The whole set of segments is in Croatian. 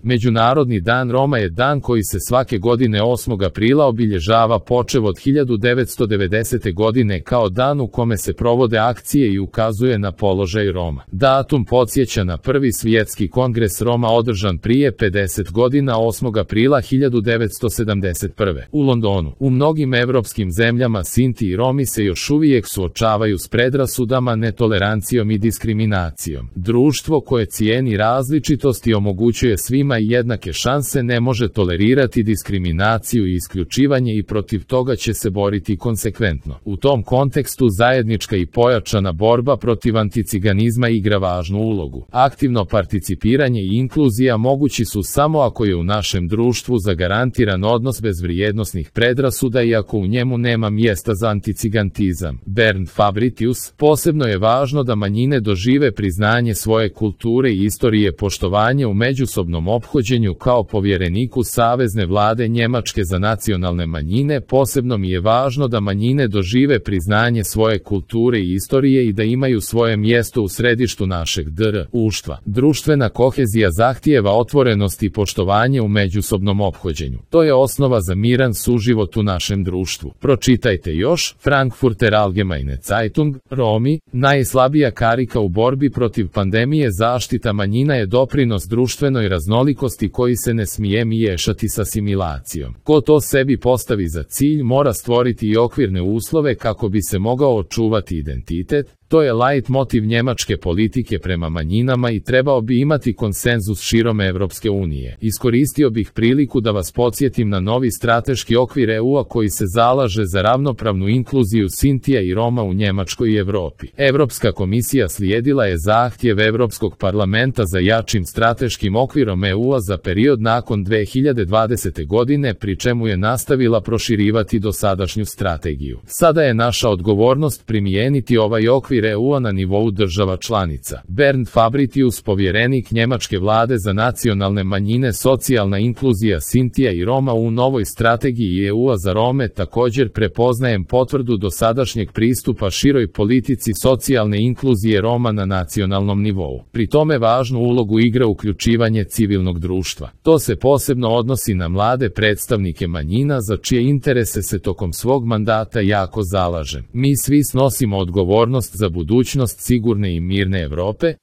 Međunarodni dan Roma je dan koji se svake godine 8. aprila obilježava počev od 1990. godine kao dan u kome se provode akcije i ukazuje na položaj Roma. Datum podsjeća na prvi svjetski kongres Roma održan prije 50 godina 8. aprila 1971. u Londonu. U mnogim evropskim zemljama Sinti i Romi se još uvijek suočavaju s predrasudama, netolerancijom i diskriminacijom. Društvo koje cijeni različitost i omogućuje svima jednake šanse ne može tolerirati diskriminaciju i isključivanje i protiv toga će se boriti konsekventno. U tom kontekstu zajednička i pojačana borba protiv anticiganizma igra važnu ulogu. Aktivno participiranje i inkluzija mogući su samo ako je u našem društvu zagarantiran odnos bez vrijednosnih predrasuda i ako u njemu nema mjesta za anticigantizam. Bernd Fabritius: posebno je važno da manjine dožive priznanje svoje kulture i istorije, poštovanje u međusobnom ophođenju. Kao povjereniku Savezne vlade Njemačke za nacionalne manjine, posebno mi je važno da manjine dožive priznanje svoje kulture i istorije i da imaju svoje mjesto u središtu našeg društva. Društvena kohezija zahtijeva otvorenost i poštovanje u međusobnom ophođenju. To je osnova za miran suživot u našem društvu. Pročitajte još Frankfurter Allgemeine Zeitung: Romi, najslabija karika u borbi protiv pandemije. Zaštita manjina je doprinos društvenoj raznolikosti koji se ne smije miješati s asimilacijom. Ko to sebi postavi za cilj mora stvoriti i okvirne uslove kako bi se mogao očuvati identitet. To je lajt motiv njemačke politike prema manjinama i trebao bi imati konsenzus širom Evropske unije. Iskoristio bih priliku da vas podsjetim na novi strateški okvir EU-a koji se zalaže za ravnopravnu inkluziju Sintija i Roma u Njemačkoj i Europi. Europska komisija slijedila je zahtjev Europskog parlamenta za jačim strateškim okvirom EU-a za period nakon 2020. godine, pri čemu je nastavila proširivati dosadašnju strategiju. Sada je naša odgovornost primijeniti ovaj okvir EU-a na nivou država članica. Bernd Fabritius, povjerenik njemačke vlade za nacionalne manjine, socijalna inkluzija Sintija i Roma u novoj strategiji EU-a za Rome. Također prepoznajem potvrdu dosadašnjeg pristupa široj politici socijalne inkluzije Roma na nacionalnom nivou. Pri tome važnu ulogu igra uključivanje civilnog društva. To se posebno odnosi na mlade predstavnike manjina za čije interese se tokom svog mandata jako zalažem. Mi svi snosimo odgovornost za budućnost sigurne i mirne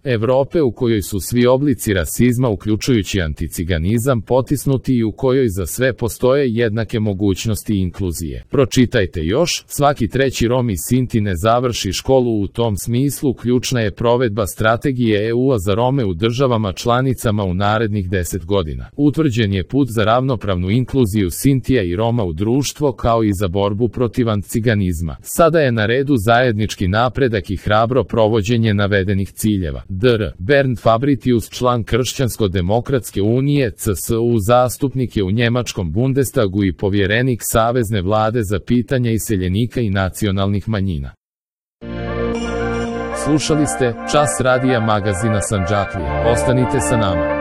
Europe u kojoj su svi oblici rasizma uključujući anticiganizam potisnuti i u kojoj za sve postoje jednake mogućnosti inkluzije. Pročitajte još, svaki treći Rom i Sinti ne završi školu. U tom smislu ključna je provedba strategije EU-a za Rome u državama članicama u narednih 10 godina. Utvrđen je put za ravnopravnu inkluziju Sintija i Roma u društvo kao i za borbu protiv anticiganizma. Sada je na redu zajednički napredak i hrabro provođenje navedenih ciljeva. Bernd Fabritius, član Kršćansko-demokratske unije CSU, zastupnik je u njemačkom Bundestagu i povjerenik Savezne vlade za pitanja iseljenika i nacionalnih manjina. Slušali ste Čas radija magazina Sandžaklije. Ostanite sa nama.